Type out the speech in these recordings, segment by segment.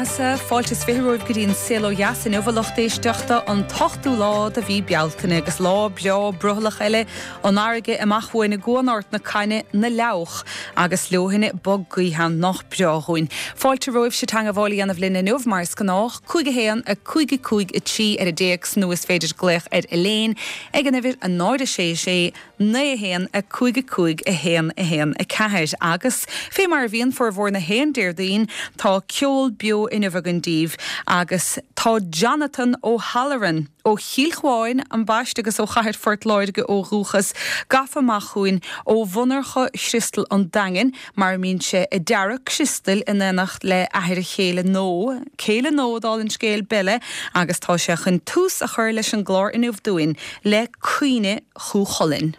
bheathasa. Fáilte is 20 romhaibh go dtí an Saol Ó Dheas inniu, a lucht éisteachta, an t-ochtú lá de mhí Bealtaine, agus lá breá brothallach eile, an fharraige amach uainn i gCuan Ard na Caithne, na Leabhach, agus leoithne bog gaoithe ann, nách breá dhúinn. Fáilte romhaibhse teangabháil a dhéanamh linn inniu, mar is gnách, 5 1 5 5 3 ar an dtéacs nó is féidir glaoch ar Elaine ag an uimhir 0 6 6 9 1 5 5 1 1 4 Agus, fé mar a bhíonn formhór na haon Déardaoin, tá ceol beo inniu againn daoibh agus tá Jonathan O'Halloran, ó Chill Chuáin, ambaiste, agus ó chathair Phort Láirge ó dhúchas, gafa amach chugainn ó mhonarcha Chriostal an Daingin, mar a mbíonn sé ag dearadh criostail in éineacht le athair a chéile nó céile nó, dála an scéil, Bella, agus tá sé chun tús a chur leis an gclár inniu dúinn le Caoineadh Chú Chulainn.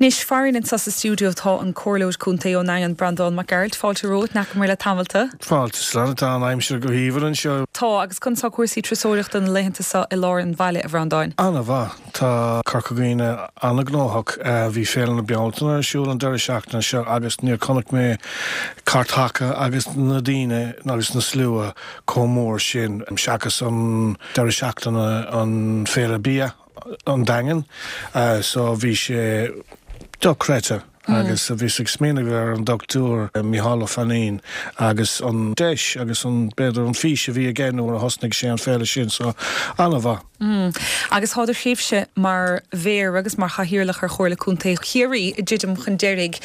Anois, farainn anseo sa stiúideo tá an Comhairleoir Contae ón nDaingean, Breandán Mac Gearailt. Fáilte romhat, n'fheacamar le tamall tú. Fáilte slán, tá an aimsir go haoibhinn anseo. Tá, agus conas tá cúrsaí turasóireachta na laethanta seo i lár an bhaile, a Bhreandáin? An-mhaith. Tá Corca Dhuibhne an-ghnóthach. Bhí Féile na Bealtaine ar siúl an deireadh seachtaine seo agus níor chonaic mé cairteacha agus na daoine agus na slua chomh mór sin seachas an deireadh seachtaine an Féile Bia an Daingean. So bhí sé dochreidte agus bhíos ag smaoineamh ar an Dr Micheál Ó Fainín agus an deis agus an, b'fhéidir an fís a bhí aige nuair a thosnaigh sé an féile sin. So an-mhaith. Agus tá do thréimhse mar Mhéara agus mar Chathaoirleach ar Chomhairle Contae Chiarraí ag druidim chun deiridh.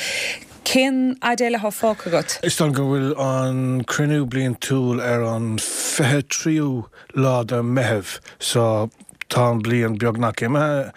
Cén fhad eile atá fágtha agat? Is dóigh liom go bhfuil an cruinniú bliantúil ar an 23ú lá de Meitheamh so tá an bliain beagnach imithe.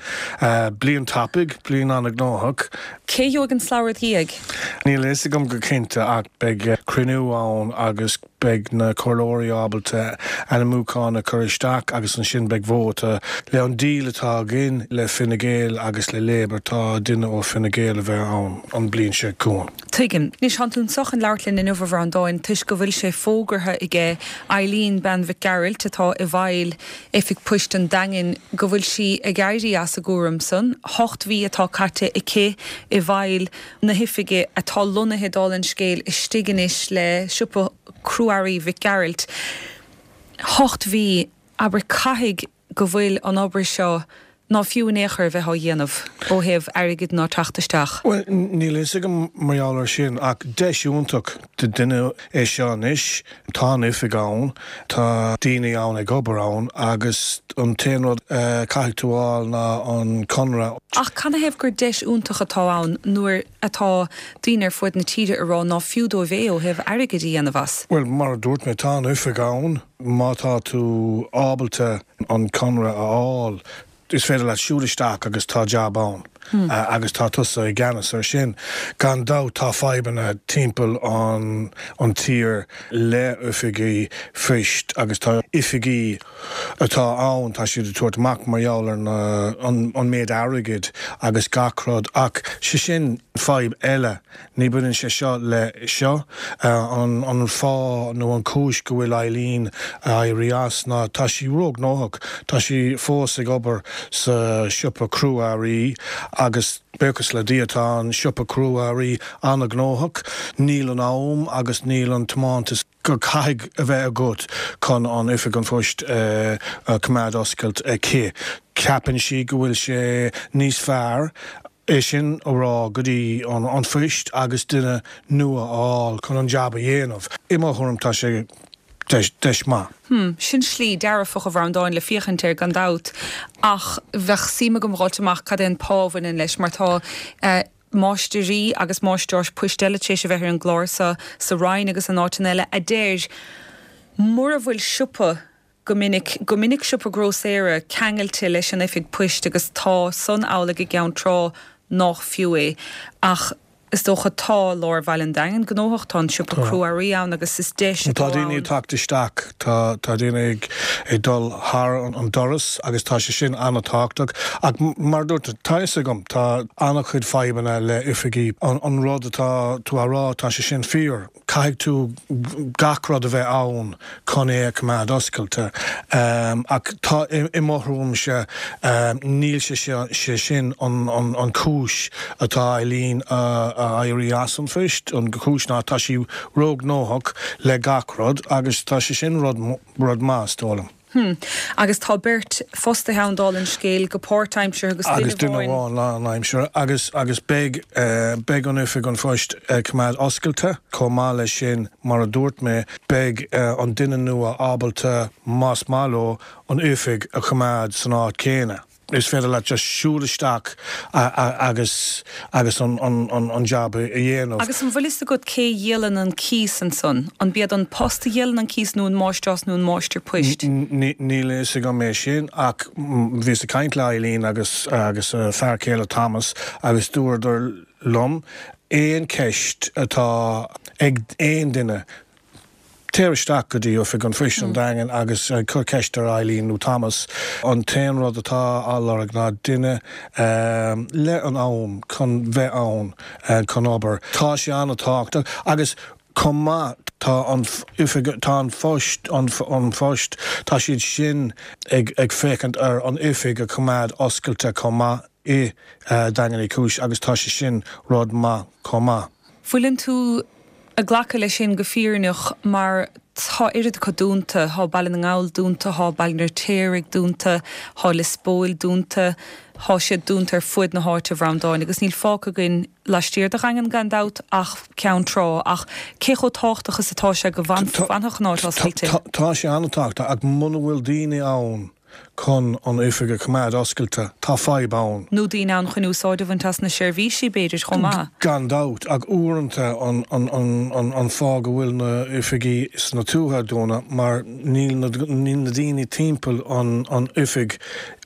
Bliain tapaidh, bliain an-ghnóthach. Cé a gheobhaidh an slabhra id dhiaidh? Níl a fhios agam go cinnte ach beidh cruinniú ann agus. beidh na comhairleoirí ábalta ainmiúchán a chur isteach agus ansin beidh vóta. Le an deal atá againn le Fine Gael agus le Labour tá duine ó Fine Gael a bheith ann an bliain seo chugainn. Tuigim. Anois, tánn tú anso chun labhairt linn inniu, a Bhreandáin, toisc go bhfuil sé fógartha aige Eileen, bean Mhic Gearailt, atá i bhfeighil Oifig Poist an Daingin, go bhfuil sí ag éirí as an gcúram san. Hocht mhí atá caite aici i bhfeighil na hoifige atá lonnaithe, dála an scéil, istigh anois le siopa crua-earraí Mhic Gearailt. Hocht mhí, abair, caithfidh go bhfuil an obair seo ná fiú in aon chor a bheith á dhéanamh ó thaobh airgid ná teacht isteach. Bhuel, níl a fhios agam mar gheall air sin, ach deis iontach do duine é seo anois. Tá an oifig ann, tá daoine ann ag obair ann agus an t-aon rud a caithfidh tú a fháil ná an conradh. Ach canathaobh gur deis iontach atá ann nuair atá daoine ar fuaid na tíre ag rá ná fiú dóibh é ó thaobh airgid a dhéanamh as? Bhuel, mar a dúirt mé, tá an oifig ann. Má tá tú ábalta an conradh a fháil, is féidir leat siúl isteach agus tá jab ann agus tá tusa i gceannas ar sin. Gan dabht tá fadhbanna timpeall an an tír le oifigí phoist agus tá oifigí atá ann, tá siad ag tabhairt amach mar gheall ar na an méid airgid agus gach rud ach sé sin fadhb eile. Ní bhaineann sé seo le seo. An fáth nó an chúis go bhfuil Eileen ag éirí as ná tá sí róghnóthach. Tá sí fós ag obair sa siopa crua-earraí agus buíochas le Dia tá an siopa crua-earraí an-ghnóthach. Níl an am agus níl an tiomantas. go caithfidh a bheith agat chun an Oifig an Phoist a choimeád oscailte aici. Ceapann sí go bhfuil sé níos fearr é sin a rá go dtí an phoist agus duine nua a fháil chun an jab a dhéanamh. I mo thuairim tá sé deis maith. Hm, sin slí dearfach a Bhreandáin le féachaint air gan dabht ach bheadh suim agam dh'fháilt amach cad é an pá a bhaineann leis mar tá eh, máistirí agus máistreáis poist eile tar éis a bheith ar an gclár seo sa Rinn agus in áiteanna eile a deir mura bhfuil siopa go minic, go minic siopa grósaera ceangailte leis an oifig poist agus tá san amhlaidh i gCeann Trá nách fiú é. Ach is dócha tá lár Bhaile an Daingin gnóthach, tá an siopa crua-earraí ann agus is deis atá ann. Tá daoine ag teacht isteach, tá tá daoine ag ag dul thar an doras agus tá sé sin an-tábhachtach. Ach mar a dúirt tú, tá fhios agam, tá an-chuid fadhbanna le oifigí. An rud atá tú á rá, tá sé sin fíor. Caithfidh tú gach rud a bheith ann chun é a choimeád oscailte. Ach tá, i mo thuairimse, níl sé sé sin an chúis atá Eileen a éirí as an phoist. An chúis ná tá sí róghnóthach le gach rud agus tá sé sin rud rud maith, is dóigh liom. Hm. Agus tá beirt fostaithe ann, dála an scéil, go páirtaimseartha agus duine Agus duine amháin. amháin lánaimseartha. Agus, agus beidh, beidh an Oifig an Phoist ag coimeád oscailte. Chomh maith leis sin, mar a dúirt mé, beidh an duine nua ábalta, más maith leo, an oifig a choimeád san áit chéanna. Is féidir leat just siúl isteach agus agus an jab a dhéanamh. Agus an bhfuil fhios agat cé a dhíolann an cíos ansan? An b'iad An Post a dhíolann an cíos nó an máistreás nó an máistir poist? Níl a fhios agam é sin ach bhíos ag caint le Eileen agus agus a fear céile Thomas agus dúradar liom aon cheist atá ag aon duine Téir isteach go dtí Oifig an Phoist an Daingean agus cuir ceist ar Eileen nó Thomas. An t-aon rud atá á lorg ná duine le an am chun bheith ann chun obair. Tá sé an-tábhachtach agus chomh maith tá an oifig, tá an phost, an phost, tá siad sin ag féachaint ar an oifig a choimeád oscailte chomh maith i Daingean Uí Chúis agus tá sé sin rud maith chomh maith. Fuileann tú ag glacadh leis sin go fírinneach mar tá oiread acu dúnta, thá Baile na nGall dúnta, thá Baile an Fheirtéaraigh dúnta, thá Lios Póil dúnta, thá siad dúnta ar fuaid na háite, a Bhreandáin, agus níl fágtha againn laistiar de Dhaingean gan dabht ach Ceann Trá, ach cé chomh tábhachtach is atá sé go bhfanfadh an áit oscailte? Tá sé an-tábhachtach ach muna bhfuil daoine ann chun an oifig a choimeád oscailte, tá fadhb ann. Nó daoine ann chun úsáid a bhaint as na seirbhísí, b'fhéidir, chomh maith. Gan dabht, ach uaireanta an fáth go bhfuil na oifigí sna tuaithe dúnta mar níl na daoine timpeall an oifig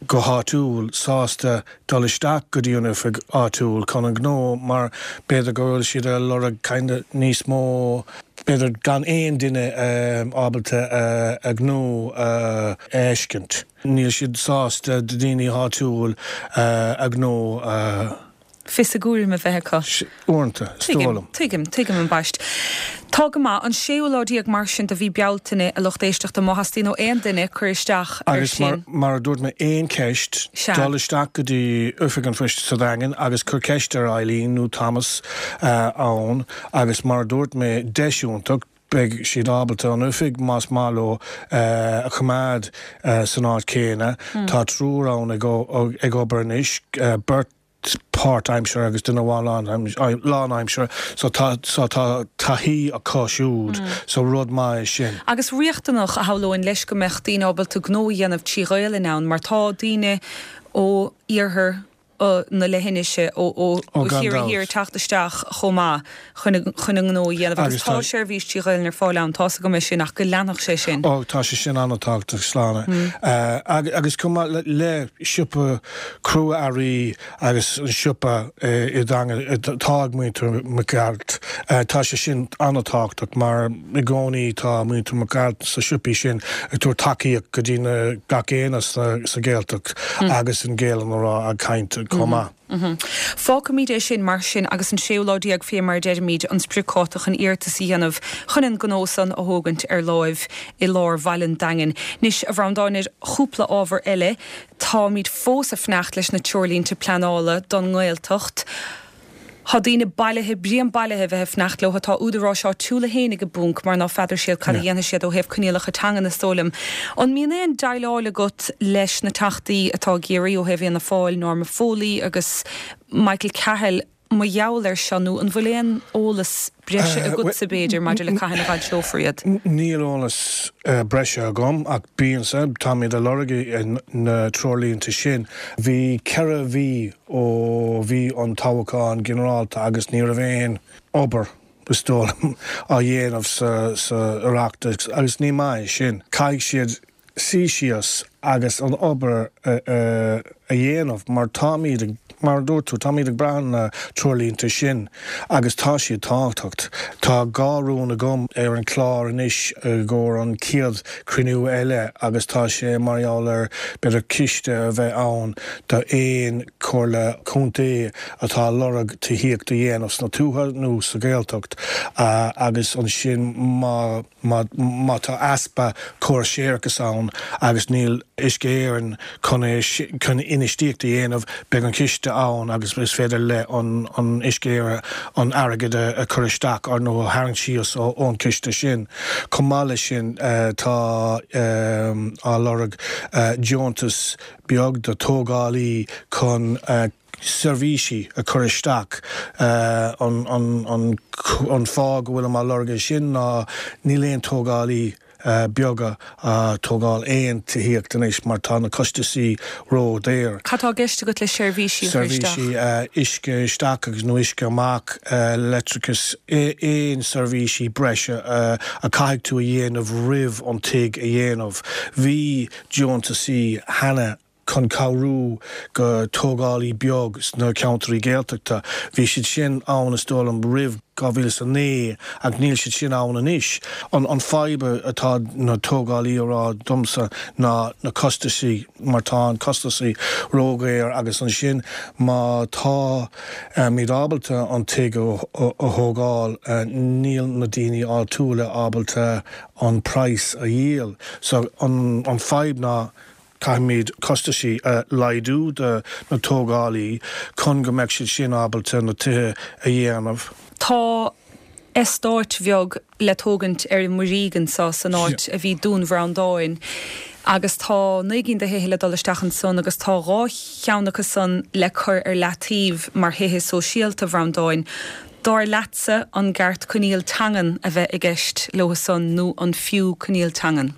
go háitiúil sásta dul isteach go dtí an oifig áitiúil chun an gnó mar b'fhéidir go bhfuil siad ag lorg kind of níos mó. B'fhéidir gan aon duine ábalta a ngnó a fheiscint. Níl siad sásta do daoine áitiúil a ngnó a. Fios a gcúraim a bheith acu. Uaireanta, is dóigh liom. Tuigim, tuigim, ambaist. Tá go maith. An séú lá déag mar sin de mhí Bealtaine, a lucht éisteachta, má theastaíonn ó aon duine cur isteach ar sin. Agus mar a dúirt mé, aon cheist, dul isteach go dtí Oifig an Phoist sa Daingean agus cur ceist ar Eileen nó Thomas ann agus mar a dúirt mé, deis iontach, beidh siad ábalta an oifig, más maith leo, a choimeád san áit chéanna. Tá triúr ann ag obair anois, beirt páirtaimseartha agus duine amháin lánaimseartha, so tá so tá taithí acu siúd, so rud maith é sin. Agus riachtanach, a shamhlóinn, leis go mbeadh daoine ábalta gnó a dhéanamh trí Ghaelainn ann, mar tá daoine ó iarthar na leithinise, ó Chiarraí Thiar ag teacht isteach chomh maith chun a ngnó a dhéanamh. Agus tá seirbhís trí Ghaelainn ar fáil ann, tá's agam é sin, ach go leanfadh sé sin. Ó, tá sé sin an-tábhachtach, Sláine. Agus chomh maith le siopa crua-earraí agus an siopa i nDaingean atá ag muintir Mac Gearailt, tá sé sin an-tábhachtach mar i gcónaí tá muintir Mac Gearailt sna siopaí sin ag tabhairt tacaíocht go dtí na gach éinne sa Ghaeltacht agus an Ghaelainn a rá ag caint chomh maith. Fágfaimid é sin mar sin agus an séú lá déag fé mar a deirimid an spriocdháta chun iarratas a dhéanamh chun an gnó san a thógaint ar láimh i lár bhaile an Daingin. Anois, a Bhreandáin, ar chúpla ábhar eile, táimid fós ag fanacht leis na treoirlínte pleanála don nGaeltacht. Tá daoine bailithe, braon bailithe a bheith ag fanacht leo. Tá údaráis áitiúla fhéinig i bponc mar ná feadar siad cad a dhéanfaidh siad ó thaobh coinníollacha teangan is dóigh liom. An mbíonn aon déileáil agat leis na teachtaí atá i gCiarraí ó thaobh Fhianna Fáil, Norma Foley agus Michael Cahill mar gheall air seo nó an bhfuil aon eolas breise agatsa b'fhéidir maidir le cathain a bhfoilseofar iad? Níl eolas breise agam ach bíonn, táimid ag lorg na treoirlínte sin. Bhí 4 mhí ó bhí an toghchán ginearálta agus ní raibh aon obair, is dóigh liom, á dhéanamh sa Oireachtas agus ní maith é sin. Caithfidh siad suí síos agus an obair a dhéanamh mar táimid ag, mar a dúirt tú, táimid ag brath ar na treoirlínte sin agus tá siad tábhachtach. Tá dhá rún agam ar an chlár anois i gcomhair an chéad chruinniú eile agus tá sé mar gheall ar b'fhéidir ciste a bheith ann do aon chomhairle contae atá ag lorg tithíocht a dhéanamh sna tuaithe nó sa Ghaeltacht agus ansin má Má tá easpa córas séarachais ann agus níl Uisce Éireann chun é chun infheistíocht a dhéanamh, beidh an ciste ann agus is féidir le an Uisce Éireann an airgead a chur isteach nó a tharraingt síos ón chiste sin. Chomh maith leis sin tá á lorg deontas beag do tógálaí chun seirbhísí a chur isteach. An fáth go bhfuilim á lorg é sin ná níl aon tógálaí beaga a' tógáil aon tithíocht anois mar tá na costasaí ró-dhaor. Cad tá i gceist agat le seirbhísí a chur isteach? Seirbhísí uisce isteach agus nó uisce amach, leictreachas, aon seirbhísí breise a caithfidh tú a dhéanamh roimh an tigh a dhéanamh. Bhí deontasaí cheana chun cabhrú go tógálaí beag sna ceantraí Gaeltachta. Bhí siad sin ann is dóigh liom roimh 2009 ach níl siad sin ann anois. An fadhb atá na tógálaí a rá domsa ná na costasaí mar tá an costasaí ródhaor agus ansin má tá muid ábalta an tigh a thógáil níl na daoine áitiúla ábalta an praghas a dhíol. So an fadhb ná Caithfimid costaisí a laghdú do na tógálaí chun go mbeadh siad sin ábalta na tithe a dhéanamh. Tá eastáit bheag le tógaint ar an Muirígh anso san áit a bhí Dún Bhreandáin agus tá 9 gcinn de thithe le dul isteach ansan agus tá 2 cheann acu san le cur ar leataobh mar thithe sóisialta, a Bhreandáin. Dar leatsa, an gceart coinníoll teangan a bheith i gceist leo san nó an fiú coinníoll teangan?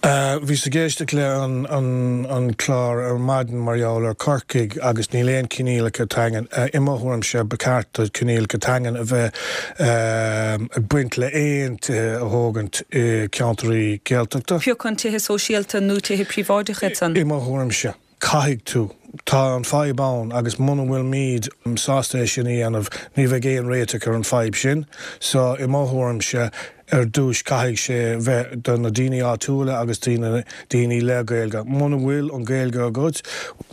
Bhíos ag éisteacht le an clár ar maidin mar gheall ar Corcaigh agus níl aon coinníollacha teangan. I mo thuairimse ba cheart do coinníollacha teangan a bheith ag baint le aon tithe a thógaint i ceantraí Gaeltachta. Pé acu an tithe sóisialta nó tithe príobháideacha iad san? I mo thuairimse. Caithfidh tú. Tá an fadhb ann agus muna bhfuilimid sásta é sin a dhéanamh, ní bheidh aon réiteach ar an fadhb sin. So, i mo thuairimse, ar dtúis caithfidh sé bheith do na daoine áitiúla agus daoine daoine le Gaeilge. Muna bhfuil an Ghaeilge agat,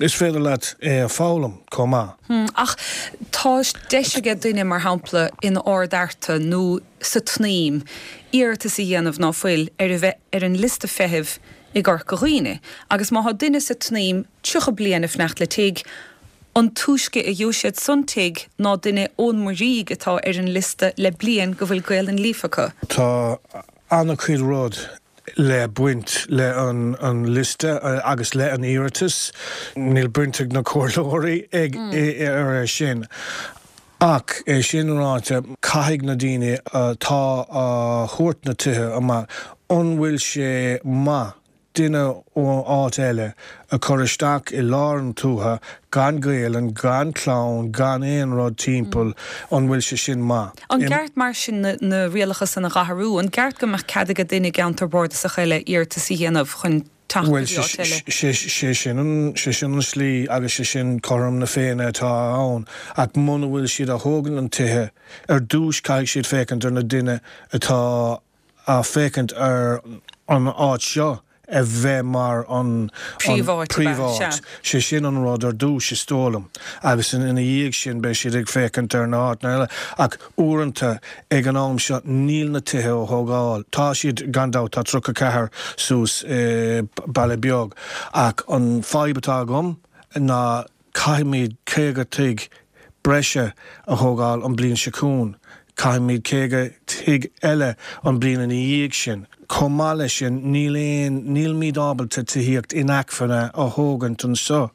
is féidir leat é a foghlaim chomh maith. Ach tá deis aige duine, mar shampla, in Ard Fhearta nó sa tSnaidhm, iarratas a dhéanamh, ná fuil, ar a bheith ar an liosta feithimh i gCorca Dhuibhne. Agus má thá duine sa tSnaidhm 30 bliain ag fanacht le tigh, an túisce a gheobhaidh siad san tigh ná duine ón Muirígh atá ar an liosta le bliain go bhfuil Gaolainn líofa acu. Tá ana-chuid rud le baint le an liosta agus le an iarratas. Níl baint ag na comhairleoirí ag ar é sin. Ach é sin ráite, caithfidh na daoine atá á thabhairt na tithe amach, an bhfuil sé maith duine ó áit eile a chur isteach i lár an tuaithe gan Gaelainn, gan clann, gan aon rud timpeall, an bhfuil sé sin maith? An gceart mar sin na rialacha san a dh'athrú? An gceart go mbeadh cead aige duine i gceantar bardasach eile iarratas a dhéanamh chun teacht go Bhuel, dtí áit eile? sé sé sin an, sé sin an slí agus sé sin cothrom na Féinne atá ann. Ach muna bhfuil siad a thógaint an tithe, ar dtúis caithfidh siad féachaint ar na duine atá a féachaint ar an áit seo a bheith mar an Príomháit, ab ea? príomháit. Sea. Sé sin an rud ar dtús, is dóigh liom. Agus ina dhiaidh sin beidh siad ag féachaint ar na háiteanna eile. Ach uaireanta, ag an am seo, níl na tithe á thógáil. Tá siad, gan dabht, tá 34 suas i Baile Beag. Ach an fadhb atá agam ná Caithfimid 50 tigh breise a thógáil an bliain seo chugainn. Caithfimid 50 tigh eile an bliain ina dhiaidh sin. Chomh maith leis sin, níl aon, nílimid ábalta tithíocht inacmhainne a thógaint anseo.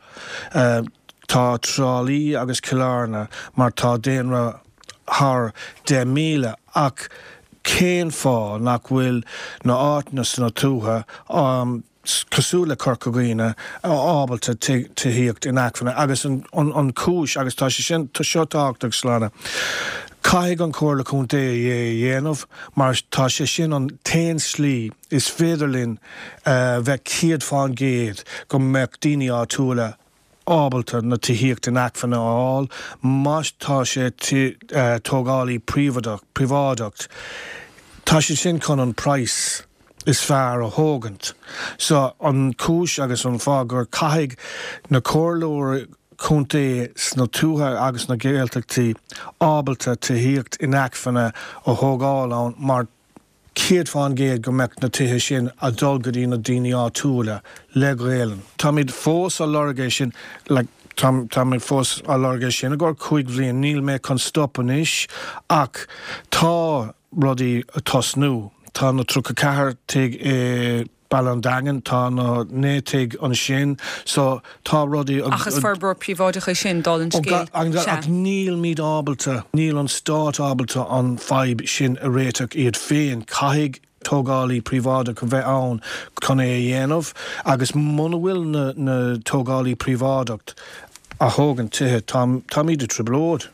Tá Trá Lí agus Cill Airne mar tá daonra thar 10,000 ach cén fáth nach bhfuil na áiteanna sna tuaithe, cosúil le Corca Dhuibhne, ábalta tithíocht inacmhainne agus an chúis, agus tá sé sin, tá seo tábhachtach Sláine, caithfidh an Chomhairle Contae é a dhéanamh mar tá sé sin an t-aon slí is féidir linn bheith 100% go mbeadh daoine áitiúla ábalta na tithíocht inacmhainne a fháil má tá sé tógálaí príobháideach. Tá siad sin chun an praghas is fearr a thógaint. So an chúis agus an fáth gur caithfidh na comhairleoirí contae sna tuaithe agus na Gaeltachtaí ábalta tithíocht inacmhainne a thógáil ann mar 100% go mbeadh na tithe sin a dul go dtí na daoine áitiúla le Gaelainn. Táimid fós á lorg é sin, like, táimid fós á lorg é sin i gcomhair 5 bhliain, níl mé chun stop anois ach tá rudaí a tosnú. Tá na 34 tigh i. Baile an Daingin, tá na 9 tigh ansin, so tá rudaí. Ach is forbróir príobháideach é sin, dála an scéil. Sea. Ach nílimid ábalta, níl an stát ábalta an fadhb sin a réiteach iad féin. Caithfidh tógálaí príobháideach a bheith ann chun é a dhéanamh agus muna bhfuil na tógálaí príobháideach a thógann tithe, táimid i dtrioblóid.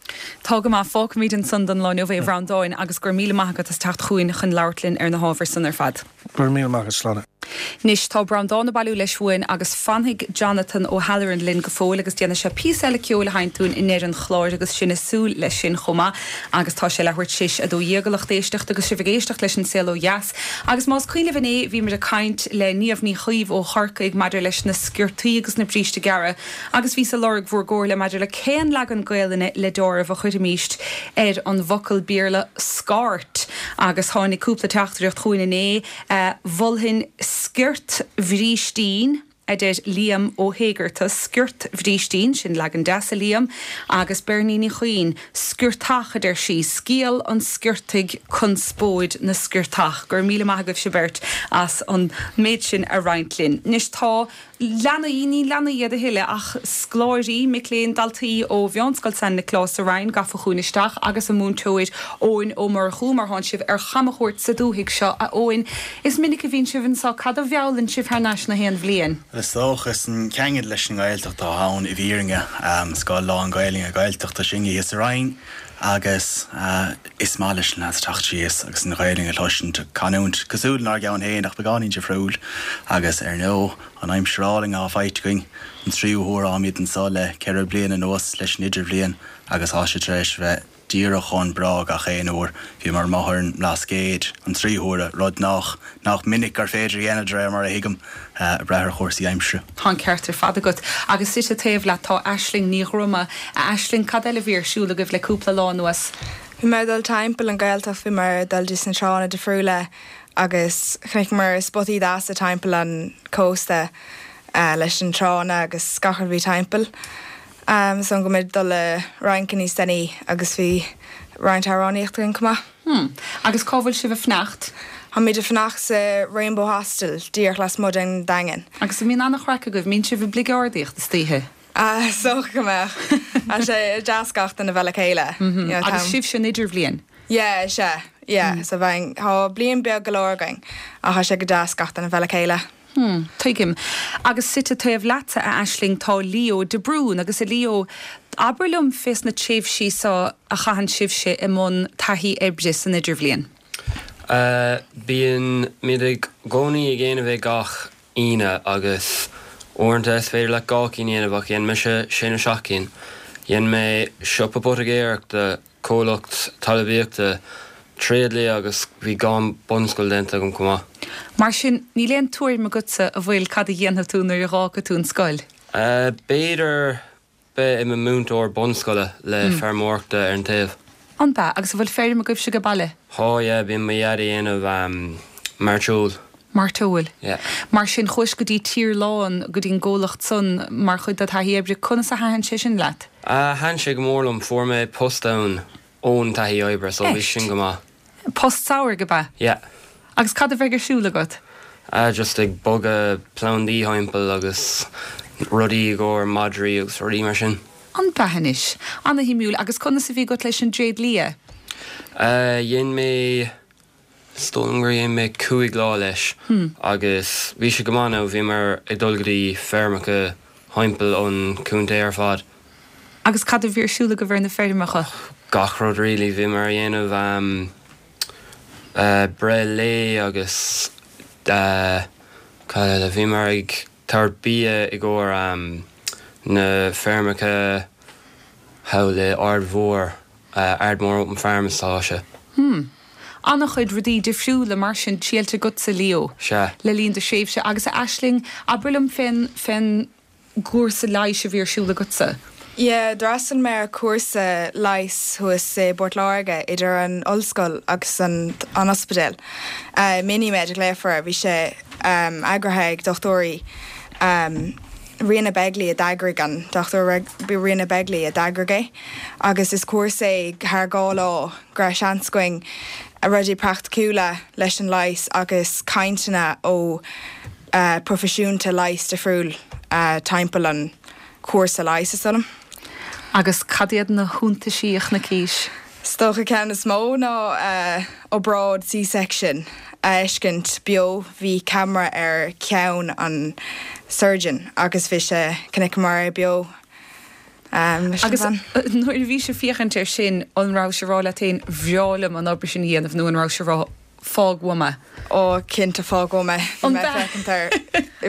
Tá go maith. Fágfaimid ansan don lá inniu é, a Bhreandáin, agus go raibh míle maith agat as teacht chugainn chun labhairt linn ar na hábhair san ar fad. Go raibh míle maith agat, Sláine. Anois, tá Breandán ag bailiú leis uainn agus fanfaidh Jonathan O'Halloran linn go fóill agus déanfaidh sé píosa eile ceoil a sheinnt dúinn i ndeireadh an chláir agus sinn ag súil leis sin chomh maith agus tá sé leathuair tar éis 12 a lucht éisteachta agus sibh ag éisteacht leis An Saol Ó Dheas. Agus más cuimhin libh inné bhíomar ag caint le Niamh Ní Chaoimh ó Chorcaigh maidir leis na sciortaí agus na bríste gearra Agus bhíos ag lorg bhur gcomhairle maidir le cén leagan Gaelainne le deáramh a chuirfimíst ar an bhfocal Béarla 'skirt' agus tháinig cúpla teachtaireacht chugainn inné. Mholfainn sciort bhrístín, a deir Liam Ó hÉigearta, sciort bhrístín, sin leagan deas, a Liam. Agus Bernie Ní Chuinn, sciortach, a deir sí, scéal an sciortaigh, conspóid na sciortach. Go raibh míle maith agaibhse beirt as an méid sin a roinnt linn. Anois tá. Leanaí, ní leanaí iad a thuilleadh ach scoláirí, mic léinn, daltaí ó Mheánscoil San Nioclás sa Rinn gafa chugainn isteach agus a múinteoir Eoin Ó Murchú mar thánn sibh ar chamchuairt sa dúthaigh seo. A Eoin, is minic a bhíonn sibh anseo, cad a mheallann sibh thar n-ais na haon bhliain? Is dócha, is an ceangal leis an nGaeltacht atá ann i bhfírinne. Scoil lán-Ghaelainne Gaeltachta sinne thíos sa Rinn. Agus is maith leis na lads teacht síos agus an Ghaelainn a chloisint, canúint cosúil lenár gceann féin ach beagáinín difriúil. Agus ar ndóigh, an aimsir álainn atá faighte againn, an tríú huair atáimid anseo le 4 bliana anuas leis an Idirbhliain agus tá sé tar éis a bheith díreach chomh breá gach aon uair. Bhíomar amuigh ar an mBlascaod an tríú huair, rud nach nach minic gur féidir a dhéanamh de réir mar a thuigim, ag brath ar chúrsaí aimsire. Tá an ceart ar fad agat. Agus suite taobh leat tá Aisling Ní Dhroma. A Aisling, cad eile a bhí ar siúl agaibh le cúpla lá anuas? Bhí muid ag dul timpeall an Ghaeltacht, bhí muid ag dul dtí na tránna difriúla agus chonaiceamar spotaí deasa timpeall an cósta leis an tránna agus gach rud a bhí timpeall. So go mbeidh dul le rince níos déanaí agus bhí roinnt amhránaíocht againn chomh maith. Hmm. Agus cá bhfuil sibh ag fanacht? Táimid ag fanacht sa Rainbow Hostel díreach lasmuigh den Daingean. Agus an mbíonn an-chraic agaibh? Mbíonn sibh ag bligeardaíocht istoíche? Ah, is dócha go mbeadh. Tá sé deas gach duine bheith le chéile. Agus sibhse an idirbhliain? Yeah, is ea. Yeah, so bheinn, tá bliain beag go leor againn ach tá sé go deas gach duine bheith le chéile. Hmm, tuigim. Agus suite taobh leatsa, a Aisling, tá Leo de Brún. Agus a Leo, abair liom fés na tréimhsí so a chaitheann sibhse i mbun taithí oibre san idirbhliain. Bíonn muid i gcónaí ag déanamh é gach Aoine agus uaireanta is féidir leat 2 cinn a dhéanamh ach dhein mise sé nó seacht cinn. Dhein mé siopa poitigéireachta, comhlacht talmhaíochta, tréidlia agus bhí dhá bunscoil déanta agam chomh maith. Mar sin, níl aon tuairim agatsa an bhfuil cad a dhéanfaidh tú nuair a dh'fhágfaidh tú an scoil? B'fhéidir beith i mo múinteoir bunscoile le feirmeoireachta ar an taobh. An b'ea? Agus an bhfuil feirm agaibhse age baile? Thá, yeah, bíonn mo dhaid a dhéanamh mairteoil. Mairteoil. Yeah. Mar sin, chuais go dtí Tír Lán, go dtí an gcomhlacht san, mar chuid de thaithí oibre. Conas a thaitin sé sin leat? Thaitin sé go mór liom. Fuair mé post ann ón taithí oibre, so bhí sin go maith. Post samhraidh, ab ea? Yeah. Agus cad a bheidh ar siúl agat? Just ag bogadh plandaí thimpeall agus rudaí i gcomhair madraí agus rudaí mar sin. An b'ea anois? Ana-shuimiúil. Agus conas a bhí agat leis an dtréidlia? Dhein mé Is dóigh liom gur dhein mé 5 lá leis agus bhí sé go maith now, bhíomar ag dul go dtí feirmeacha thimpeall an chontae ar fad. Agus cad a bhí ar siúl agaibh ar na feirmeacha? Gach rud really, bhíomar a dhéanamh breith lae agus cad eile, bhíomar ag tabhairt bia i gcomhair na feirmeacha thall i Ard Mhór. Ardmore Open Farm is atá sé. Hmm. An-chuid rudaí difriúla mar sin triailte agatsa, Leo. Sea. Le linn do thréimhse. Agus a Aisling, abair liom fén, fén gcúrsa leighis a bhí ar siúl agatsa. Yeah, d'fhreastail mé ar chúrsa leighis thuas i bPort Láirge idir an ollscoil agus an an ospidéal. Minimed a ghlaofar air. Bhí sé eagraithe ag dochtúirí. Ríona Begley a d'eagraigh an, Dr. Ríona Begley a d'eagraigh é agus is cúrsa é thar 2 lá go raibh seans againn rudaí praiticiúla leis an leigheas agus cainteanna ó proifisiúnta leighis difriúil timpeall an chúrsa leighis is dóigh liom. Agus cad iad na hiontaisí a chonaicís? Is dócha ceann is mó ná obráid C-section a fheiscint beo. Bhí ceamara ar cheann an surgeon agus bhí sé, chonaiceamar é beo leis an Agus bhean. nuair a bhís ag féachaint air sin, an rabhais ag rá leat féin, bhreá liom an obair sin a dhéanamh nó an rabhais ag rá, fág uaim é? Ó, cinnte, fág uaim é. Bhí mé ag féachaint air.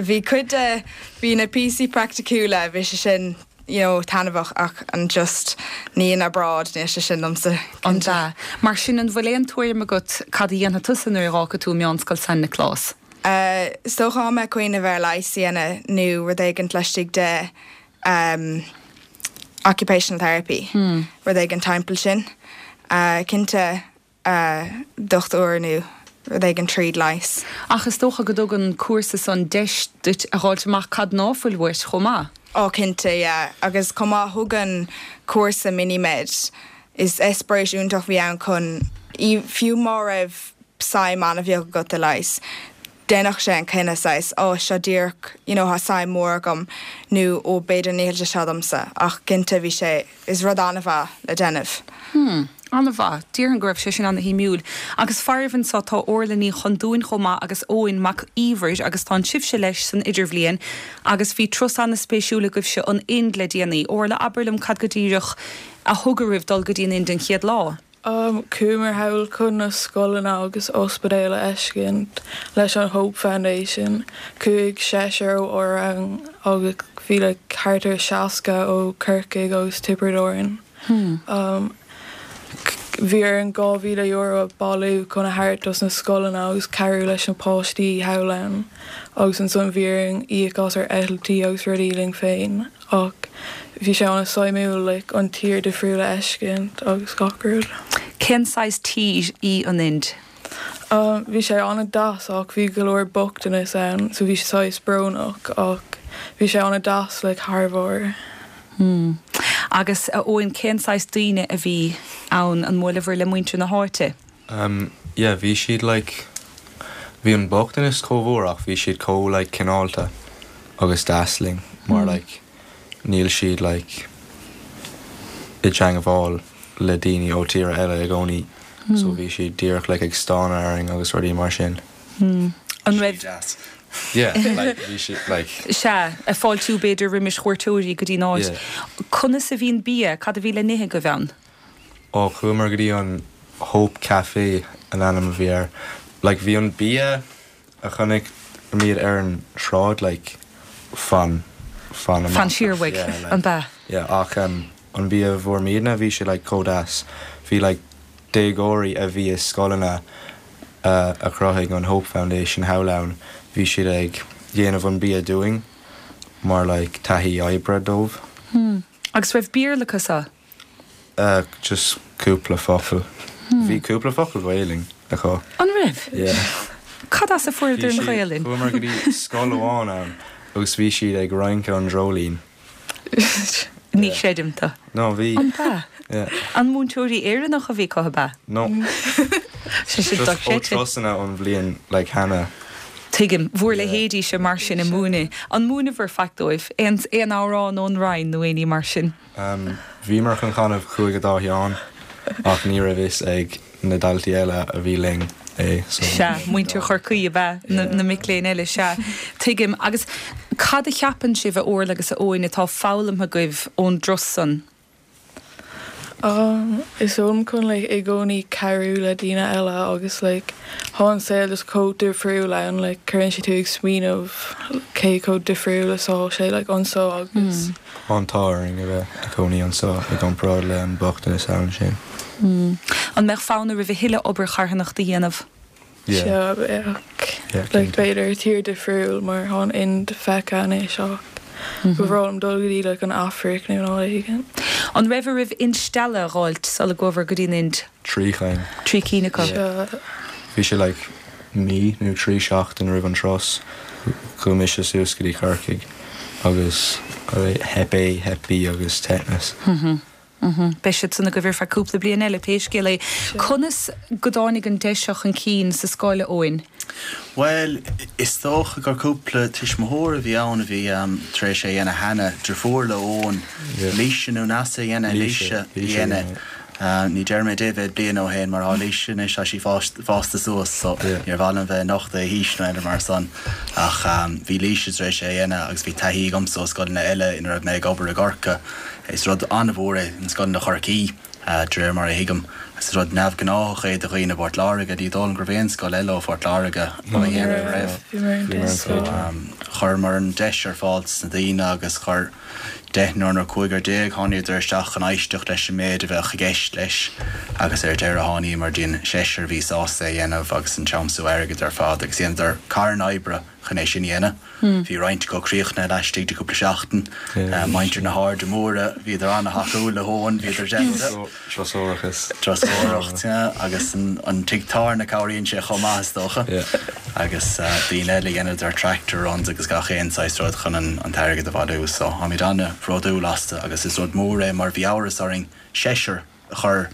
Bhí cuid de, bhí na píosaí praiticiúla, bhí sé sin you know taitneamhach ach an just ní an obráid, níl sé sin domsa, An cinnte. ea? Mar sin, an bhfuil aon tuairim agat cad a dhéanfaidh tusa nuair a dh'fhágfaidh tú Meánscoil San Nioclás? Is dócha tá mé ag cuimhneamh ar leigheas a dhéanamh nó rud éigint laistigh de occupational therapy, rud éigin timpeall sin. Cinnte dochtúir nó rud éigin tríd leigheas. Ach is dócha go dtugann an cúrsa san deis duit a dh'fháilt amach cad ná fuil uait chomh maith. Ó cinnte, yeah. Agus chomh maith thug an cúrsa Minimed, is eispéireas iontach a bhí ann chun, fiú má raibh suim an-bheag agat i leigheas, déanfadh sé an cinneadh saghas, ó seo díreach, you know, tá suim mhór agam nó ó b'fhéidir níl sé seo domsa ach cinnte bhí sé, is rud an-mhaith le déanamh. Hmm, an-mhaith. Déarfainn go raibh sé sin ana-shuimiúil. Agus faraibh anso tá Orla Ní Chondúin chomh maith agus Eoin Mac Íomhair agus tánn sibhse leis san idirbhliain agus bhí turas ana-spéisiúil agaibhse an Ind le déanaí. Orla, abair liom cad go díreach. a thug oraibh dul go dtí an Ind an chéad lá? Chuamar thall chun na scoileanna agus ospidéil a fheiscint leis an Hope Foundation. Chuaigh seisear ó ár rang agus bhí like thart ar 60 ó Corcaigh agus Tiobraid Árann. Bhí orainn €2,000 a bailiú chun a thabhairt dos na scoileanna agus cabhrú leis na páistí thall ann agus ansan bhí orainn íoc as ár eitiltí agus rudaí linn féin ach bhí sé an-suimiúil like an tír difriúil a fheiscint agus gach rud. Cén saghas tír í an Ind? Bhí sé an-deas ach bhí go leor bochtanas ann so bhí sé saghas brónach ach bhí sé an-deas like thar bharr. Hmm. Agus, a Eoin, cén saghas daoine a bhí ann? An mbuaileabhair le muintir na háite? Um, yeah, bhí siad like, bhí an bochtanas chomh mhór ach bhí siad chomh like cineálta agus deas linn mar like níl siad like i dteangmháil le daoine ó tíortha eile i gcónaí so bhí siad díreach like ag stánadh orainn agus rudaí mar sin. An raibh. Deas. Yeah, like bhí siad like. Sea, ag fáiltiú b'fhéidir roimis chuairteoirí go dtí an áit. Yeah. Conas a bhí an bia? Cad a bhí le n-ithe agaibh ann? Ó, chuamar go dtí an Hope Café an ainm a bhí air. Like bhí an bia a chonaic muid ar an sráid like fan, fan amach. Fan siar uaidh, Yeah, like. an b'ea? Yeah, ach um an bia a bhfuair muidne bhí sé like chomh deas. Bhí like déagóirí a bhí i scoileanna a chruthaigh an Hope Foundation thall ann, bhí siad ag dhéanamh an bia dúinn mar like taithí oibre dóibh. Hmm. Agus raibh Béarla acu so? Eh just cúpla focal. Bhí cúpla focal Gaelainn acu. An raibh? Yeah. Cad as a fuaireadar an Ghaelainn? Chuamar go dtí scoil amháin ann agus bhí siad ag rince an dreoilín. Ní chreidim tú. No, bhí. An b'ea? Yeah. An múinteoirí Éireannach a bhí acu, ab ea? No. Sé sin Just ó dochreidte. turasanna ón bhliain like cheana. Tuigim. Bhur leithéidíse mar sin ag múineadh. An múineabhair faic dóibh? Aon aon amhrán ón Rinn nó aon ní mar sin? Bhíomar chun canadh Chuaigh a Dá Sheán ach ní raibh fhios ag na daltaí eile a bhí linn é so. Sea, muintir Chorcaí ab ea na mic léinn eile, sea. Tuigim. Agus cad a cheapann sibh, a Órla agus a Eoin, atá foghlamtha agaibh ón dturas san? Is dóigh liom chun like i gcónaí cabhrú le daoine eile agus like thá an saol just chomh difriúil ann like cuireann sé tú ag smaoineamh cé chomh difriúil is thá sé like anso agus. Tá an t-ádh orainn a bheith ag cónaí anso i gcomparáid le an bochtanas ann sin. An mbeadh fonn oraibh a thuilleadh obair charthanachta a dhéanamh? Sea, bheadh. Like, b'fhéidir tír difriúil mar thá an Ind feicthe anois ach ba bhreá liom dul go dtí like an Afraic nó áit éigin. An raibh oraibh instealladh a dh'fháilt sula gcuabhair go dtí an Ind? 3 chinn. 3 cinn acu. Sea. Bhí sé like mí nó 3 seachtain roimh an turas. Chuaigh mise suas go dtí Corcaigh agus Hep A, Hep B agus tetanus. Beidh siad san agaibh ar feadh cúpla bliain eile, pé scéal é. Conas go dtáinig an deis seo chun cinn sa scoil, a Eoin? Bhuel, is dócha gur cúpla tuismitheoir a bhí ann a bhí tar éis é a dhéanamh cheana, deirfiúr le Eoin, Laoise nó Neasa a dhein é, Laoise a dhein é. Ní déarfaidh mé dé mhéad bliain ó shin mar tá Laoise anois, tá sí fásta suas so níor mhaith liom bheith ag nochtadh a haois nó aon rud mar san ach bhí Laoise tar éis é a dhéanamh agus bhí taithí agamsa ó scoileanna eile ina raibh mé ag obair i gCorcaigh. Is rud an-mhór é in scoileanna Chorcaí, de réir mar a thuigim. Is rud neamhghnáthach é do dhaoine i bPort Láirge. Ní dóigh liom go raibh aon scoil eile ó Phort Láirge á dhéanamh riamh. So, chuireamar an deis ar fáil dos na daoine agus chuir deichniúr nó cúigear tháiníodar isteach chun éisteacht leis an méid a bheadh i gceist leis agus ar deireadh tháiníomar dtí'n seisear a bhí sásta é a dhéanamh agus an tiomsú airgid ar fad agus dheineadar carn oibre chun é sin a dhéanamh. Bhí roinnt acu críochnaithe laistigh de chúpla seachtain. Muintir na hAirde Móire, bhíodar an-thacúil le hEoin, bhíodar déanta. Turasóireachas. Turasóireacht, yeah. Agus an tigh tábhairne cabhraíonn sé chomh maith is dócha. Agus daoine eile dheineadar tractor runs agus gach aon saghas rud chun an t-airgead a bhailiú. So táimid an-bhródúil astu agus is rud mór é mar bhí amhras orainn seisear a chur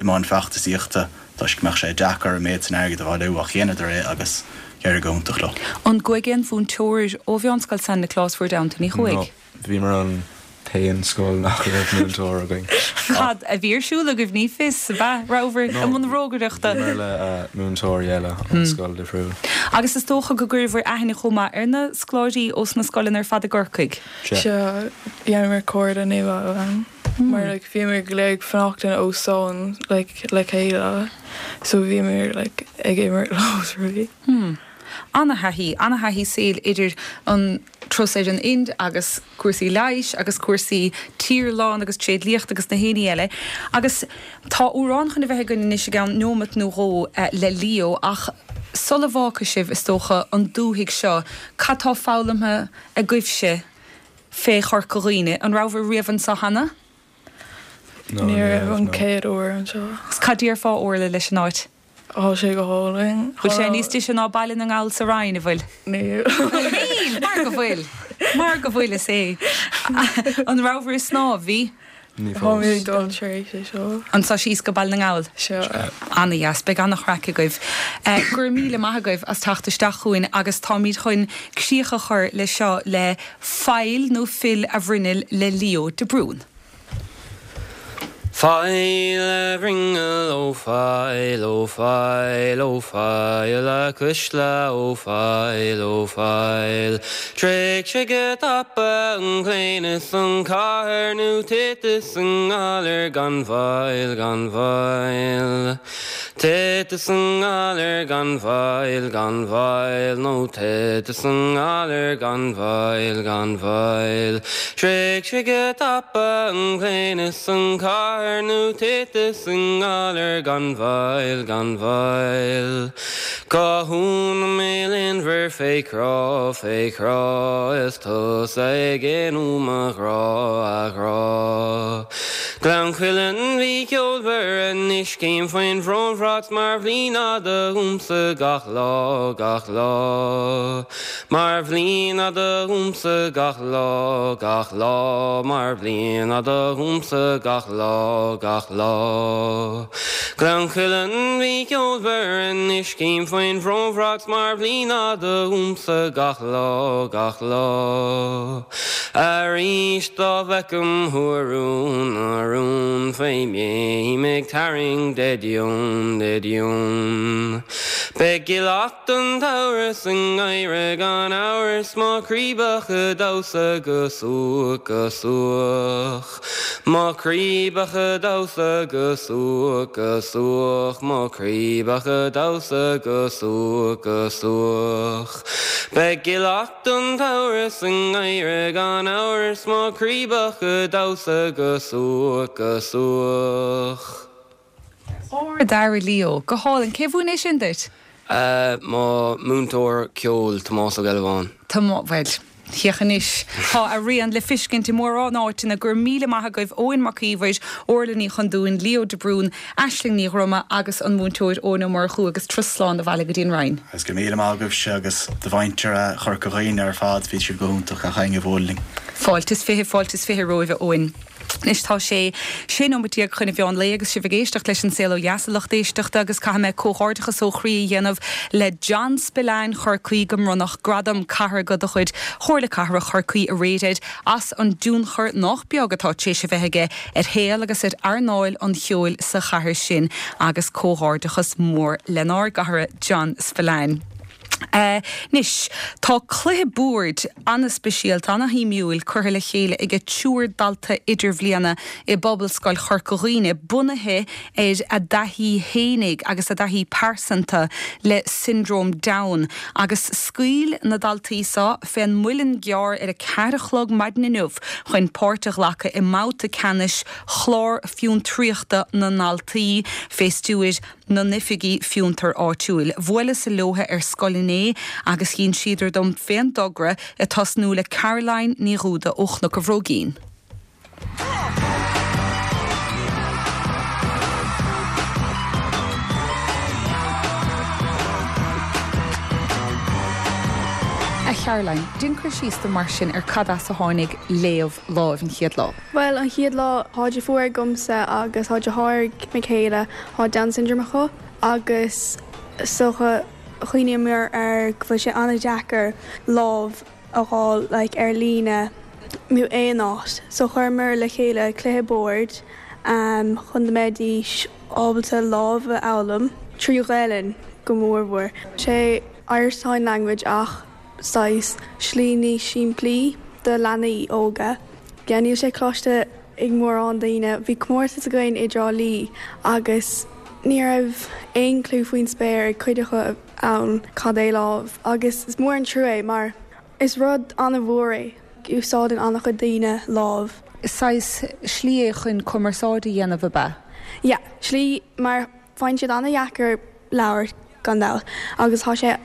i mbun feachtasaíochta toisc go mbeadh sé deacair an méid san airgid a bhailiú ach dheineadar é agus d'éirigh go hiontach leo. An gcuaigh aon mhúinteoir ó Mheánscoil San Nioclás bhur dteannta? Ní chuaigh. No, bhíomar an t-aon scoil nach raibh múinteoir againn. Cad a bhí ar siúl agaibh? Ní fios, ab ea? Rabhabhair i mbun rógaireachta? Bhíomar le múinteoirí eile ón scoil difriúil. Agus is dócha go gcuireabhair aithne chomh maith ar na scoláirí ós na scoileanna ar fad i gCorcaigh? Sea, dheineamar cairde nua ann. Mar like bhíomar go léir ag fanacht in óstán like le chéile so bhíomar like ag imirt leo is rudaí. Hmm. Ana-thaithí, ana-thaithí saoil idir an turas ar an Ind agus cúrsaí leighis agus cúrsaí tírghlan agus tréidliachta agus na héinní eile. Agus tá amhrán chun a bheith againn anois i gceann neomat nó dhó le Leo ach sula bhfágfaidh sibh, is dócha, an dúthaigh seo, cad tá foghlamtha agaibhse fé Chorca Dhuibhne? An rabhabhair riamh anseo cheana? Ní raibh, an chéad uair anseo. Agus cad déarfá, Orla, leis an áit? Tá sé go hálainn. Bhfuil sé níos deise ná Baile na nGall sa Rinn, an bhfuil? Níl. Níl! Mar go bhfuil. Mar go bhfuil, is é. An rabhabhair ag snámh? Bhí? Ní fós. Táimid ag dul tar éis é seo. Anso síos go Baile na nGall? Sea. Ana-dheas. Beidh ana-chraic agaibh. Go raibh míle maith agaibh as teacht isteach chugainn agus táimid chun críoch a chur leis seo le Faill nó Fill a Bhruinneall le Leo de Brún. Faill a bhruinneall, ó faill, ó faill, ó faill a cuisle, ó faill, ó faill. Tréig sé go tapa an claon is an cathair nó titfeas an galar gan mhoill, gan mhoill. Titfeas an galar gan mhoill, gan mhoill, nó titfeas an galar gan mhoill, gan mhoill. Tréig sé go tapa an claon is an cathair nó titfeas an galar gan mhoill, gan mhoill. Cá huain a mbeidh léanmhar fé chrá, fé chrá, is tusa ag éalú mo ghrá, a ghrá. Gleann Cuilinn bhí ceolmhar anois cím faoin bhrónbhrat mar bhliain fhada dhomsa gach lá, gach lá. Mar bhliain fhada dhomsa gach lá, gach lá, mar bhliain fhada dhomsa gach lá, gach lá. Gleann Cuilinn bhí ceolmhar anois cím faoin bhrónbhrat mar bhliain fhada dhomsa gach lá, gach lá. Arís dá bhfeicim thú a rún, a rún, fé mbéim ag tarraingt de dheoin, de dheoin. Beidh gileacht an tsamhraidh sa ngeimhreadh gan amhras, mo chraoibheach a' damhsa go suaich, go suaich. Mo chraoibheach a' damhsa go suaich, go suaich, mo chraoibheach a' damhsa go suaich, go suaich. Beidh gileacht an tsamhraidh sa ngeimhreadh gan amhras mo chraoibheach a' damhsa go suaich, go suaich. Ard-fhear, a Leo. Go hálainn. Cé mhúin é sin duit? Mo mhúinteoir ceoil, Tomás Ó Gealbháin. Tomás, bhuel, féach anois. Tá a rian le fiscint i mórán áiteanna. Go raibh míle maith agaibh, Eoin Mac Íomhair, Orla Ní Chondúin, Leo de Brún, Aisling Ní Dhroma agus an múinteoir Eoin Ó Murchú agus turas slán abhaile go dtí an Rinn. Agus go raibh míle maith agaibhse agus do mhuintir Chorca Dhuibhne ar fad, bhí sibh go hiontach gach éinne a bhuail linn. Fáilte is fiche, fáilte is fiche romhaibh a Eoin. Anois tá sé 16 nóiméad chun an mheán lae agus sibh ag éisteacht leis An Saol Ó Dheas a lucht éisteachta agus caithfidh mé comhghairdeachas ó chroí a dhéanamh le John Spillane Chorcaí go mbronnadh Gradam Cathartha de chuid Chomhairle Cathrach Chorcaí aréir air as an dtionchar nách beag atá tar éis a bheith aige ar shaol agus ar earnáil an cheoil sa chathair sin agus comhghairdeachas mór lenár gcara John Spillane. Anois, tá cluiche boird an-speisialta, an-shuimiúil curtha le chéile ag triúr dalta idirbhliana i bPobalscoil Chorca Dhuibhne, bunaithe ar a dtaithí fhéinig agus a dtaithí pearsanta le Siondróm Down. Agus scaoil na daltaí seo fén Muileann gCearr ar a ceathair a chlog maidin inniu chun páirt a ghlacadh i mbabhta ceannais Chlár Fiontraíochta na nDaltaí fé stiúir na nOifigí Fiontair Áitiúil. Bhuaileas leotha ar scoil inné agus dh'insíodar dom fén dtogra ag tosnú le Caroline Ní Dhúda ó Chnoc a' Bhróigín. A Charoline, déan cur síos dom mar sin ar cad as a tháinig Léamh Láimh an chéad lá. Bhuel, an chéad lá, thá deirfiúr agamsa agus thá deartháir ag mo chéile, thá Down syndrome acu agus is dócha chuimhníomar ar go bhfuil sé an-deacair lámh a fháil like ar líne nó aon áit so chuireamar le chéile cluiche boird chun go mbeidís ábalta lámh a fhoghlaim trí Ghaelainn go mór mhór. Sé Irish Sign Language ach saghas slí níos simplí do leanaí óga. Yeah níl sé cloiste. ag mórán daoine. Bhí comórtas againn i dTrá Lí agus ní raibh aon clue faoin spéir ag cuid acu ann cad é lámh agus is mór an trua é mar is rud an-mhór é. Úsáideann an-chuid daoine lámh. Saghas slí é chun cumarsáid a dhéanamh, ab ea? Yeah, slí mar faigheann siad an-dheacair labhairt gan dabht agus tá sé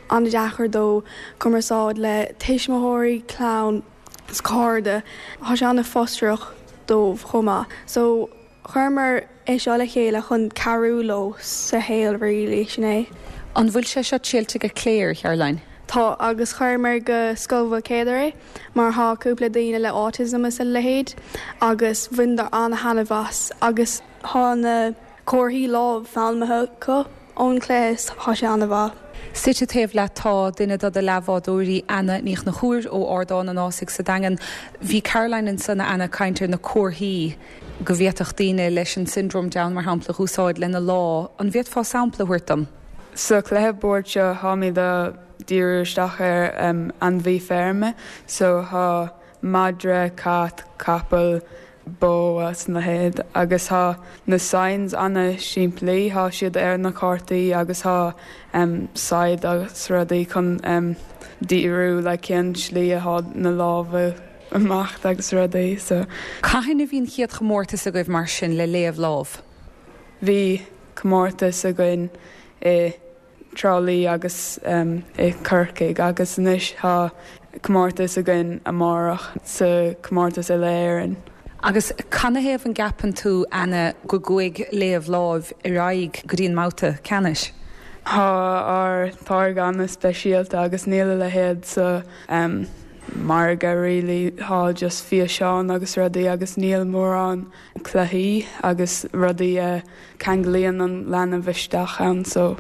an-deacair dó cumarsáid le tuismitheoirí, clann is cairde. Tá sé an-fhrustrach dóibh chomh maith. So chuireamar é seo le chéile chun cabhrú leo sa shaol really, sin é. An bhfuil sé seo tuillte go Clare, Caroline? Tá, agus chuireamar go Scoil Mhaoilchéadair é mar thá cúpla daoine le autism is a leithéid agus bhaineadar an-thaitneamh as agus thá na comharthaí lámh foghlamtha acu ón chluiche is thá sé an-mhaith. Suite taobh leat tá duine de do leathbhádóirí, Anna Ní Chonchúir ó Ardán an Ásaigh sa Daingean. Bhí Caroline ansan, a Anna, ag caint ar na comharthaí go bhféadfadh daoine leis an Siondróm Down, mar shampla, a dh'úsáid lena lámh. An bhféadfá sampla a thabhairt dom? Sa chluiche boird seo tháimid a díriú isteach ar ainmhí feirme so thá madra, cat, capall, bó agus a leithéid agus thá na signs ana simplí, thá siad ar na cártaí agus thá saighead agus rudaí chun díriú like cén slí athá na lámha amach agus rudaí so. Cathain a bhí an chéad chomórtas agaibh mar sin le léamh lámh? Bhí comórtas againn i dTrá Lí agus i Corcaigh agus anois tá comórtas againn amárach sa comórtas uile-Éireann. Agus canathaobh an gceapann tú, Anna, go gcuaigh léamh láimh ar aghaidh go dtí an mbabhta ceannais? Tá ár táirge an-speisialta agus níl a leithéid sa margadh really. Tá just físeáin agus rudaí agus níl mórán cluichí agus rudaí a ceanglaíonn an leanbh isteach ann so.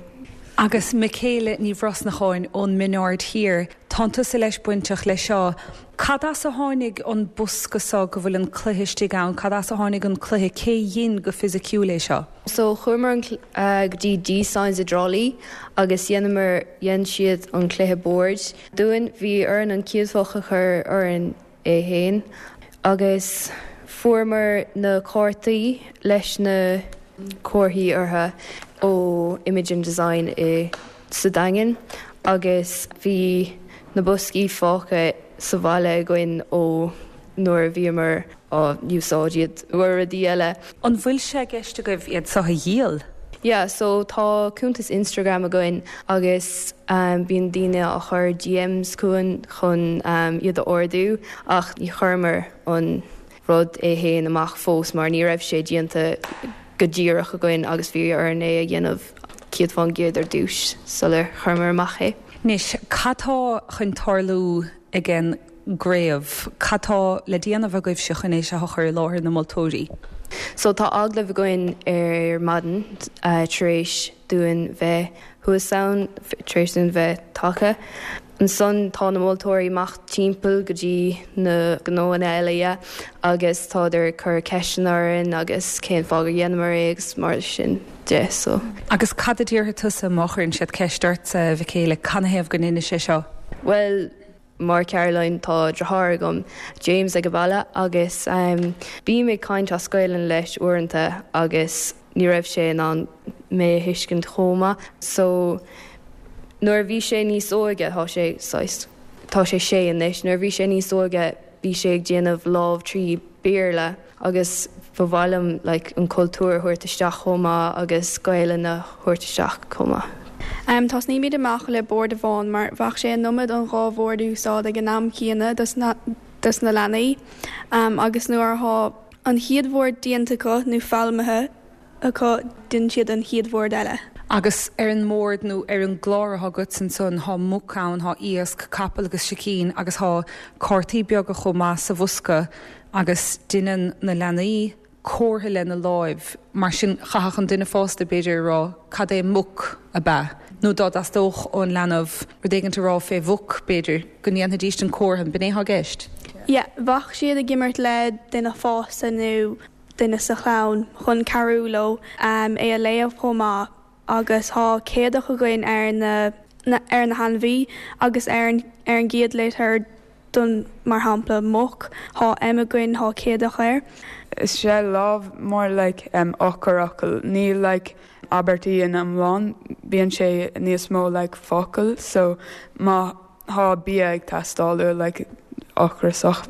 Agus Michaela Ní Bhrosnacháin ón Min Aird Thiar, tánn tusa leis bainteach leis seo. Cad as a tháinig an bosca seo go bhfuil an cluiche istigh ann? Cad as a tháinig an cluiche? Cé dhein go fisiciúil é seo? So chuamar an go dtí D-Signs i dTrá Lí agus dheineamar, dhein siad an cluiche boird dúinn. Bhí orainn an chéadfach a chur orainn é fhéin agus fuaireamar na cártaí leis na comharthaí orthu ó Imogen Design i sa Daingean agus bhí na boscaí fágtha sa bhaile againn ó nuair a bhíomar á úsáid iad do rudaí eile. An bhfuil sé i gceist agaibh iad seo a dhíol? Yeah, so tá cuntas Instagram againn agus bíonn daoine á chur DMs chugainn chun iad a ordú ach ní chuireamar an rud é fhéin amach fós mar ní raibh sé déanta go díreach againn agus bhí orainn é a dhéanamh 100% ar dtús sular chuireamar amach é. Anois, cad tá chun tarlú ag an gcraobh? Cad tá le déanamh agaibhse chun é seo a chur i láthair na moltóirí? So tá agallamh againn ar maidin tar éis dúinn bheith thuas ann, tar éis dúinn bheith tagtha. Ansan tá na moltóirí amach timpeall go dtí na gnóanna eile yeah agus tádar ag cur ceisteanna orainn agus cén fáth gur dheineamar é agus mar sin de so. Agus cad a déarfaidh tusa má chuireann siad ceist ortsa, a Mhichaela, canathaobh go ndeinis é seo? Bhuel, Mar Caroline tá deartháir agam, James ag an baile agus bím ag caint as Gaelainn leis uaireanta agus ní raibh sé in ann mé a thuiscint chomh maith so nuair a bhí sé níos óige, tá sé saghas, tá sé sé anois, nuair a bhí sé níos óige bhí sé ag déanamh lámh trí Béarla agus ba mhaith liom like an cultúr a thabhairt isteach chomh maith agus Gaelainn a thabhairt isteach chomh maith. Tosnaímid amach le bord amháin mar bheadh sé an iomad an dhá bhord a úsáid ag an am céanna dos na dos na leanaí agus nuair athá an chéad bhord déanta acu nó foghlamtha acu déanann siad an chéad bhord eile. Agus ar an mbord nó ar an gclár atá agat ansan thá muc ann, thá iasc, capall agus sicín agus thá cártaí beaga chomh maith sa bhosca agus deineann na leanaí comhartha lena láimh, mar sin chaithfeadh an duine fásta b'fhéidir a rá cad é muc, ab ea? Nó dá dteastódh ón leanbh rud éigint a rá fé mhuc b'fhéidir, go ndéanfaidíst an comhartha, b'in é thá i gceist? Yeah, bheadh siad ag imirt le duine fásta nó duine sa chlann chun cabhrú leo é a léamh chomh maith agus thá céadach againn ar na ar na hainmhí agus ar an ar an gcéad litir. Don, mar shampla, muc, thá M againn, thá céadach air. Is sé lámh more like eochairfhocal, níl like abairtí in iomlán, bíonn sé níos mó like focal so má thá bia ag teastáil uaidh like ocrasach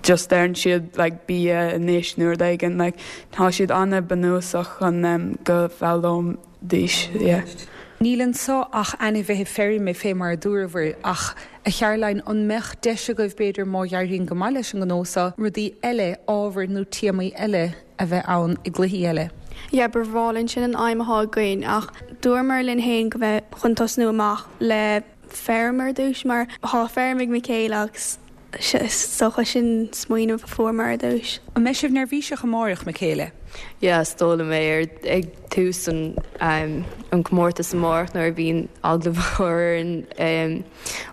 just deireann siad like bia anois nó rud éigin like tá siad an-bhunúsach chun go bhfoghlaimeoidís yeah. Níl anso ach ainmhithe feirme fé mar a dúrabhair, ach, a Charoline, an mbeadh deis agaibh, b'fhéidir, má dh'éiríonn go maith leis an ngnó so, rudaí eile, ábhair nó téamaí eile a bheith ann i gcluichí eile? Yeah, ba bhreá linn, sin an aidhm athá againn, ach dúramar linn fhéin go mbeith chun tosnú amach le feirm ar dtúis mar thá feirm ag Michaela agus is dócha sin smaoineamh a fuaireamar ar dtúis. An mbeidh sibh neirbhíseach amáireach, Michaela? Yeah, is dóigh liom é ar ag tús an an comórtas amárach nuair a bhíonn agallamh á chur orainn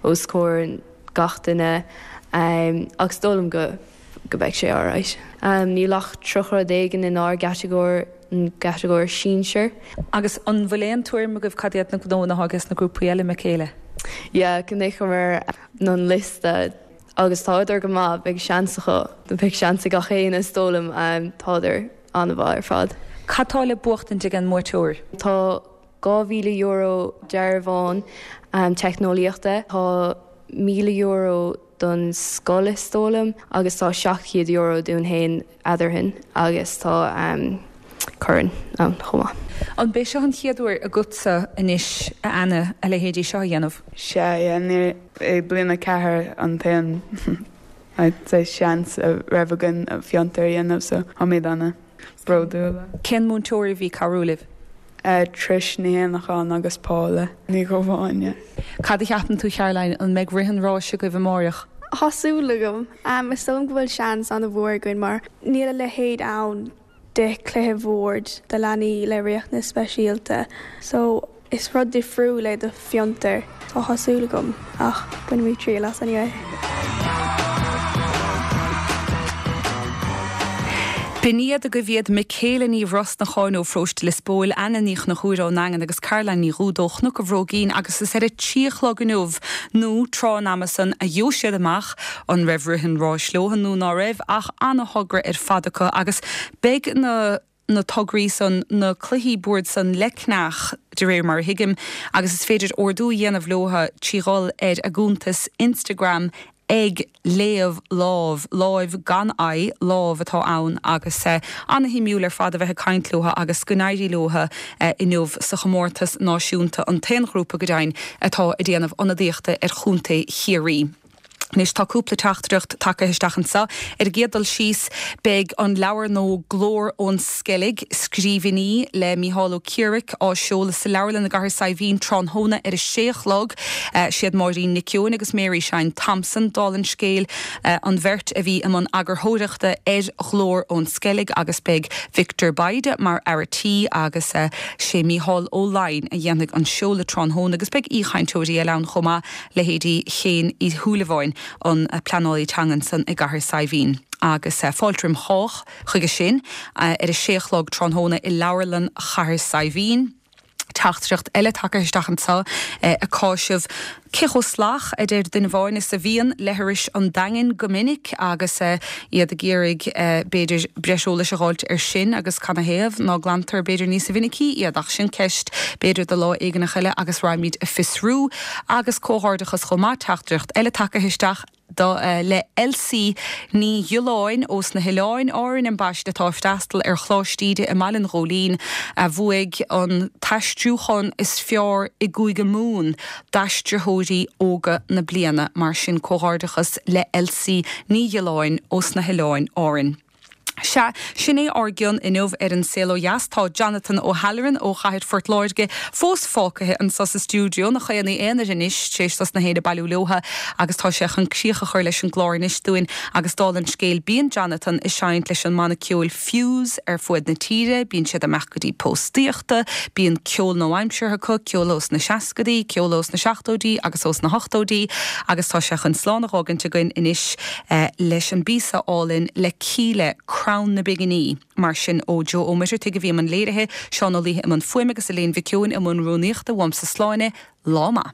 os comhair gach duine ach is dóigh liom go go mbeidh sé alright. Níl ach 30 rud éigin inár gcatagóir, an gcatagóir sinsir. Agus an bhfuil aon tuairim agaibh cad iad na gnóanna atá ages na grúpaí eile, Michaela? Yeah, chonaiceamar an liosta agus tádar go maith, beidh seans acu, beidh seans ag gach éinne is dóigh liom, tádar an-mhaith ar fad. Cad tá le buachtaint ag an mbuaiteoir? Tá €2,000 dearbhán teicneolaíochta, tá €1,000 don scoil is dóigh liom agus tá €700 dúinn féin eadarthainn agus tá corn ann chomh maith. An b'é seo an chéad uair agatsa anois, a Anna, a leithéidí seo a dhéanamh? Sea, yeah, ní é bliain 4 an t-aon I'd say seans a raibh againn fiontar a dhéanamh so táimid ana. bródúil. Cén múinteoir a bhí ag cabhrú libh? Trish Ní Éanacháin agus Paula Ní Dhubháin. Cad a cheapann tú Caroline, an mbeidh rith an ráis agaibh amáireach? Tá súil agam. Is dóigh liom go bhfuil seans an-mhór againn mar níl a leithéid ann de chluiche bhoird do leanaí le riachtanais speisialta so Is rud difriúil é do fiontar. Tá súil agam, ach bainfimid triail as anyway. B'in iad agaibh iad Michaela Ní Bhrosnacháin ó Pharóiste Lios Póil, Anna Ní Chonchúir ón nDaingean agus Caroline Ní Dhúda ó Chnoc an Bhróigín agus is ar a trí a chlog inniu nó tráth an ama san a gheobhaidh siad amach an raibh rith an ráis leo nó ná raibh ach ana-thogra ar fad acu agus beidh na na tograí san, na cluichí boird san le ceannach, de réir mar a thuigim, agus is féidir ordú a dhéanamh leotha trí dhul ar a gcuntas Instagram ag Léamh Lámh, láimh gan I, lámh atá ann, agus ana-shuimiúil ar fad a bheith ag caint leotha agus go n-éirí leotha inniu sa chomórtas náisiúnta, an t-aon ghrúpa go deimhin atá ag déanamh ionadaíochta ar Chontae Chiarraí. Anois tá cúpla teachtaireacht tagtha isteach anseo. Ar an gcéad dul síos, beidh an leabhar nua Glór ón Sceilg, Scríbhinní le Mícheál Ó Ciaraic á seoladh sa leabharlann i gCathair Saidhbhín tráthnóna ar a sé a chlog. Siad Máirín Nic Eoin agus Mary Shine Thompson, dála an scéil, an bheirt a bhí i mbun eagarthóireachta ar Ghlór ón Sceilg agus beidh Victor Bayda mar fhear a' tí agus sé Mícheál Ó Laighin a dhéanfaidh an seoladh tráthnóna agus beidh aoichainteoirí eile ann chomh maith. leithéidí Shéain Uí Shúilleabháin, an pleanálaí teanga ansan i gCathair Saidhbhín. Agus fáilte roim chách chuige sin ar a sé a chlog tráthnóna i Leabharlann Chathair Saidhbhín. Teachtaireacht eile tagtha isteach anseo ag cáiseamh cé chomh salach, a deir duine amháin, is a bhíonn leithris an Daingin go minic agus iad ag iarraidh b'fhéidir breis eolais a dh'fháilt ar sin agus canathaobh ná glantar b'fhéidir níosa mhinicí iad ach sin ceist b'fhéidir do lá éigineach eile agus raghaimid a fiosrú. Agus comhghairdeachas chomh maith, teachtaireacht eile tagtha isteach do le Elsie Ní Ghiolláin ós na hOileáin Árainn ambaiste atá ag freastal ar Choláiste Íde i mBaile an Ghóilín a bhuaigh an t-aistriúchán is fearr i gCúige Mumhan d'aistritheoirí óga na bliana. Mar sin comhghairdeachas le Elsie Ní Ghiolláin ós na hOileáin Árainn. Sea, sin é ár gcion inniu ar An Saol Ó Dheas. Tá Jonathan O'Halloran ó chathair Phort Láirge fós fágtha anso sa stiúideo, ina chaonaí aonair anois, tar éis dos na héinne bailiú leotha, agus tá sé chun críoch a chur leis an gclár anois dúinn. Agus dála an scéil, bíonn Jonathan ag seinnt leis an mbanna ceoil Fuse ar fuaid na tíre, bíonn siad ag imeacht go dtí póstaíochta, bíonn ceol nua-aimseartha acu, ceol ós na seascadaí, ceol ós na seachtóidí agus ós na hochtóidí, agus tá sé chun slán a dh'fhágaint againn anois. leis an bpíosa álainn le Kíla, Crann na bPinginí. Mar sin, ó Joe Ó Muircheartaigh a bhí i mbun léirithe, Seán Ó Laoithe i mbun fuaime agus Elaine Mhic Eoin i mbun rúnaíochta, uaimse Sláine, lá maith.